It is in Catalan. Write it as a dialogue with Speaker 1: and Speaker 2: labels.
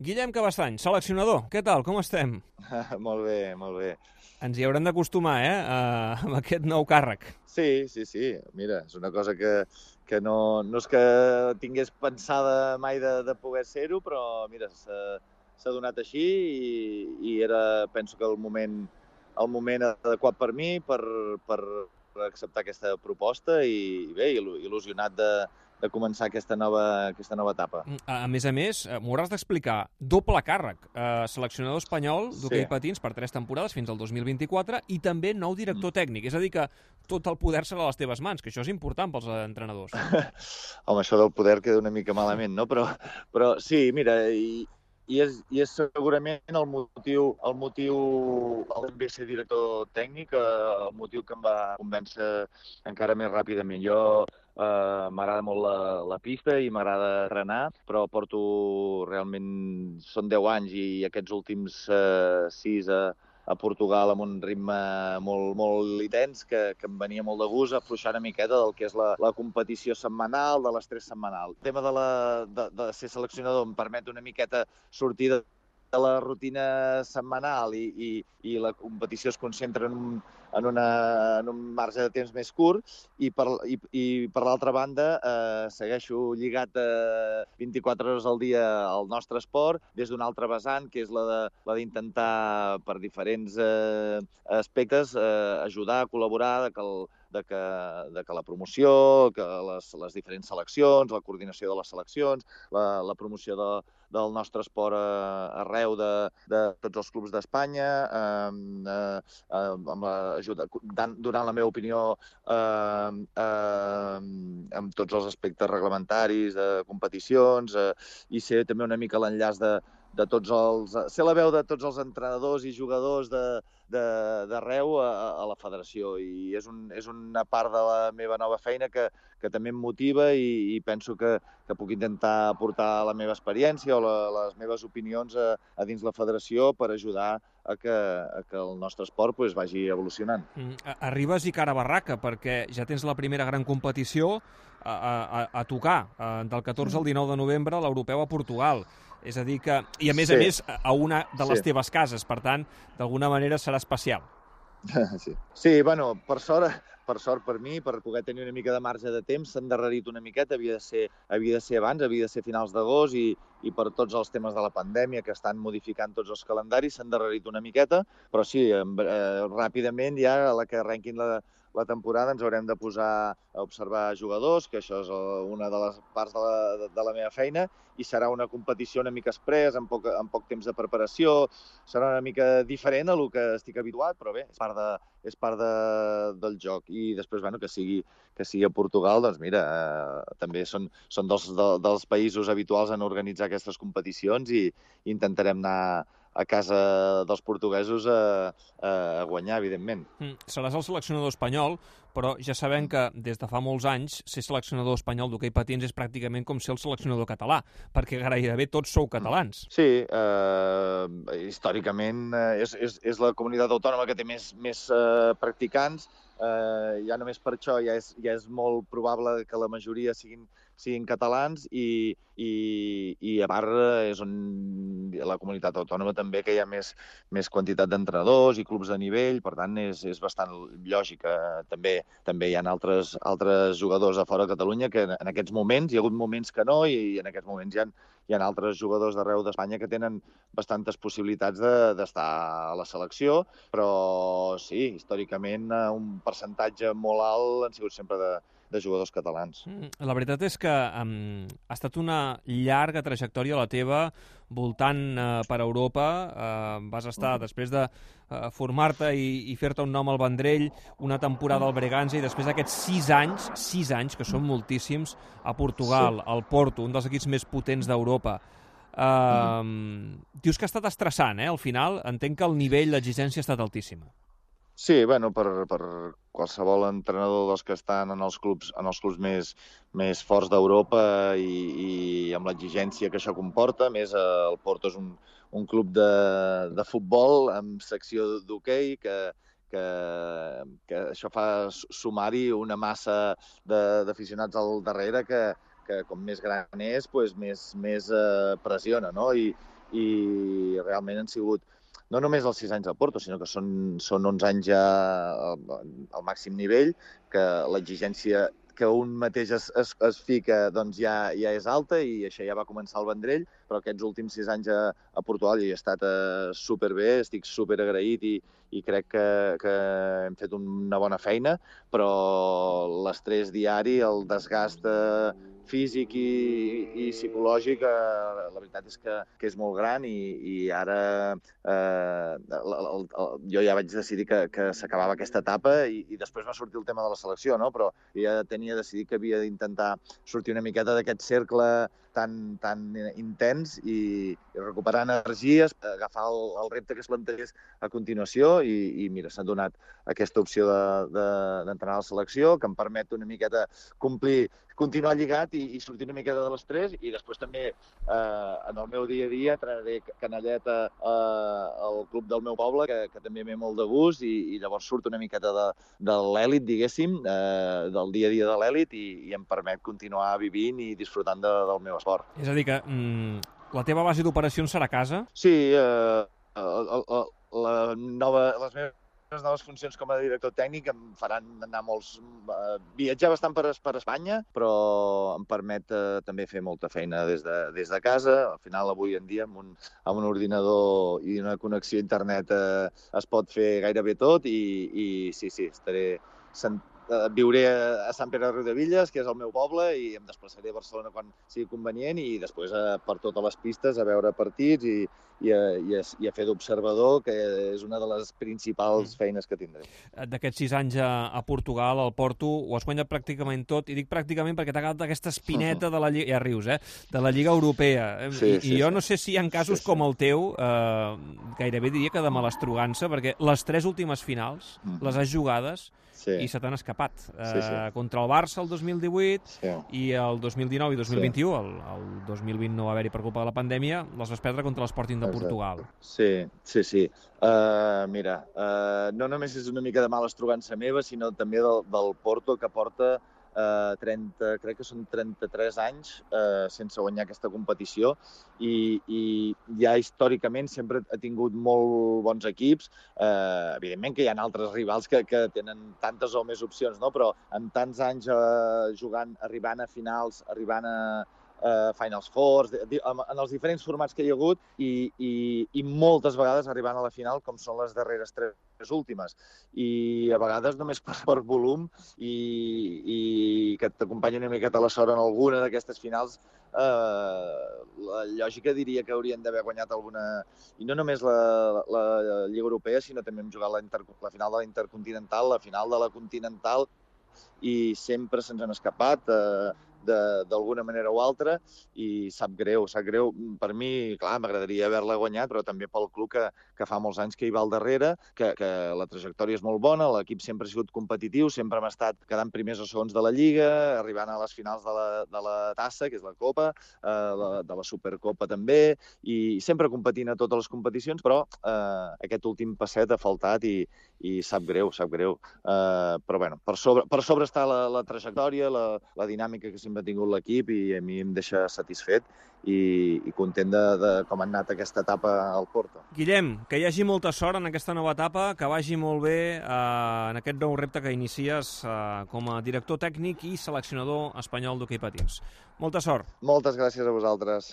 Speaker 1: Guillem Cabestany, seleccionador, què tal, com estem?
Speaker 2: Molt bé, molt bé.
Speaker 1: Ens hi haurem d'acostumar, amb aquest nou càrrec.
Speaker 2: Sí, sí, sí. Mira, és una cosa que no és que tingués pensada mai de poder ser-ho, però mira, s'ha donat així i era, penso que el moment adequat per mi per acceptar aquesta proposta i bé, il·lusionat de començar aquesta nova etapa.
Speaker 1: A més, m'ho hauràs d'explicar, doble càrrec, seleccionador espanyol d'hoquei
Speaker 2: Sí.
Speaker 1: patins per 3 temporades fins al 2024 i també nou director tècnic, és a dir que tot el poder serà a les teves mans, que això és important pels entrenadors.
Speaker 2: Home, això del poder queda una mica malament, no? Però sí, mira, i és segurament el motiu el de ser director tècnic, el motiu que em va convèncer encara més ràpidament. Jo m'agrada molt la pista i m'agrada entrenar, però realment, són 10 anys i aquests últims 6 a Portugal amb un ritme molt, molt intens que em venia molt de gust afluixar una miqueta del que és la competició setmanal, de l'estrès setmanal. El tema de ser seleccionador em permet una miqueta sortir de la rutina setmanal i la competició es concentra en un marge de temps més curt i per l'altra banda segueixo lligat 24 hores al dia al nostre esport des d'un altre vessant, que és la d'intentar per diferents aspectes ajudar, col·laborar, de que la promoció, que les diferents seleccions, la coordinació de les seleccions, la promoció del nostre esport arreu de tots els clubs d'Espanya, amb l'ajuda, donant la meva opinió amb tots els aspectes reglamentaris, de competicions, i ser també una mica l'enllaç de tots els... ser la veu de tots els entrenadors i jugadors d'arreu a la federació, i és una part de la meva nova feina que també em motiva i penso que puc intentar aportar la meva experiència o les meves opinions a dins la federació per ajudar a que el nostre esport vagi evolucionant.
Speaker 1: Arribes i cara a barraca, perquè ja tens la primera gran competició a tocar, del 14 al 19 de novembre, l'europeu a Portugal. És a dir que, i a
Speaker 2: Sí,
Speaker 1: més, a una de les
Speaker 2: sí.
Speaker 1: teves cases, per tant, d'alguna manera serà especial.
Speaker 2: Sí, sí, bueno, per sort per mi, per poder tenir una mica de marge de temps, s'ha endarrerit una miqueta, havia de ser abans, havia de ser finals d'agost i per tots els temes de la pandèmia que estan modificant tots els calendaris s'ha endarrerit una miqueta, però sí, ràpidament ja a la que arrenquin la temporada ens haurem de posar a observar jugadors, que això és una de les parts de la meva feina, i serà una competició una mica express, amb poc temps de preparació, serà una mica diferent a lo que estic habituat, però bé, del joc. I després, bueno, que sigui a Portugal, doncs mira, també són dels països habituals en organitzar aquestes competicions i intentarem anar a casa dels portuguesos a guanyar, evidentment.
Speaker 1: Seràs el seleccionador espanyol, però ja sabem que des de fa molts anys ser seleccionador espanyol d'hoquei patins és pràcticament com ser el seleccionador català, perquè gairebé tots sou catalans.
Speaker 2: Sí, històricament és la comunitat autònoma que té més practicants. Ja només per això ja és molt probable que la majoria siguin catalans i a part és on la comunitat autònoma també que hi ha més quantitat d'entrenadors i clubs de nivell, per tant és bastant lògic. També hi ha altres jugadors a fora de Catalunya que en aquests moments, hi ha hagut moments que no, i en aquests moments hi ha altres jugadors d'arreu d'Espanya que tenen bastantes possibilitats d'estar a la selecció, però sí, històricament un percentatge molt alt han sigut sempre de jugadors catalans.
Speaker 1: La veritat és que ha estat una llarga trajectòria la teva voltant per Europa. Vas estar, després de formar-te i fer-te un nom al Vendrell, una temporada al Bregança i després d'aquests 6 anys, que són moltíssims, a
Speaker 2: Sí.
Speaker 1: Portugal, al Porto, un dels equips més potents d'Europa. Dius que ha estat estressant, al final. Entenc que el nivell, l'exigència ha estat altíssima.
Speaker 2: Sí, bueno, per qualsevol entrenador dels que estan en els clubs més forts d'Europa i amb l'exigència que això comporta, més el Porto és un club de futbol amb secció d'hoquei que això fa sumar-hi una massa d'aficionats al darrere que com més gran és, més pressiona, no? i realment han sigut no només els 6 anys al Porto, sinó que són 11 anys ja al màxim nivell, que l'exigència que un mateix es fica doncs ja és alta i això ja va començar al Vendrell, però aquests últims 6 anys a Portugal hi he estat superbé, estic superagraït i crec que hem fet una bona feina, però l'estrès diari, el desgast físic i psicològic, la veritat és que és molt gran i ara jo ja vaig decidir que s'acabava aquesta etapa i després va sortir el tema de la selecció, no? Però ja tenia decidit que havia d'intentar sortir una miqueta d'aquest cercle tan intens i recuperar energies, agafar el repte que es plantegés a continuació i mira, s'ha donat aquesta opció d'entrenar a la selecció, que em permet una miqueta continuar lligat i sortir una miqueta de l'estrès i després també en el meu dia a dia entrenaré canalleta al club del meu poble, que també m'he molt de gust i llavors surt una miqueta de l'èlit, diguéssim, del dia a dia de l'èlit i em permet continuar vivint i disfrutant del meu esport.
Speaker 1: És a dir que la teva base d'operacions serà a casa?
Speaker 2: Sí, les meves noves funcions com a director tècnic em faran anar viatjar bastant per Espanya, però em permet també fer molta feina des de casa. Al final, avui en dia, amb un ordinador i una connexió a internet es pot fer gairebé tot i sí, viuré a Sant Pere de Riudebitlles, que és el meu poble, i em desplaçaré a Barcelona quan sigui convenient i després per totes les pistes a veure partits i a fer d'observador, que és una de les principals feines que tindré.
Speaker 1: D'aquests 6 anys a Portugal, al Porto, ho has guanyat pràcticament tot, i dic pràcticament perquè t'ha agradat aquesta espineta de la Lliga, ja rius, de la Lliga Europea. I jo no sé si hi ha casos com el teu, gairebé diria que de malastrugança, perquè les 3 últimes finals les has jugades i se t'han escapat. Contra el Barça el 2018 i el 2019 i 2021, el 2020 no va haver-hi per culpa de la pandèmia, les vas perdre contra l'Sporting de Portugal.
Speaker 2: Sí. Mira, no només és una mica de malastrugança meva, sinó també del Porto, que porta crec que són 33 anys sense guanyar aquesta competició i ja històricament sempre ha tingut molt bons equips. Evidentment que hi ha altres rivals que tenen tantes o més opcions, no? Però amb tants anys jugant, arribant a finals, arribant a Finals Fours, en els diferents formats que hi ha hagut i moltes vegades arribant a la final, com són les darreres 3 últimes. I a vegades només per volum i que t'acompanyi una miqueta la sort en alguna d'aquestes finals, la lògica diria que haurien d'haver guanyat alguna... I no només la Lliga Europea, sinó també hem jugat la final de la Intercontinental, la final de la Continental, i sempre se'ns han escapat d'alguna manera o altra i sap greu. Per mi, clar, m'agradaria haver-la guanyat, però també pel club que fa molts anys que hi va al darrere, que la trajectòria és molt bona, l'equip sempre ha sigut competitiu, sempre hem estat quedant primers o segons de la Lliga, arribant a les finals de la Tassa, que és la Copa, de la Supercopa també, i sempre competint a totes les competicions, però aquest últim passet ha faltat i sap greu. Però bueno, per sobre està la trajectòria, la dinàmica que sempre ha tingut l'equip i a mi em deixa satisfet i content de com ha anat aquesta etapa al Porto.
Speaker 1: Guillem, que hi hagi molta sort en aquesta nova etapa, que vagi molt bé en aquest nou repte que inicies com a director tècnic i seleccionador espanyol d'hoquei patins. Molta sort.
Speaker 2: Moltes gràcies a vosaltres.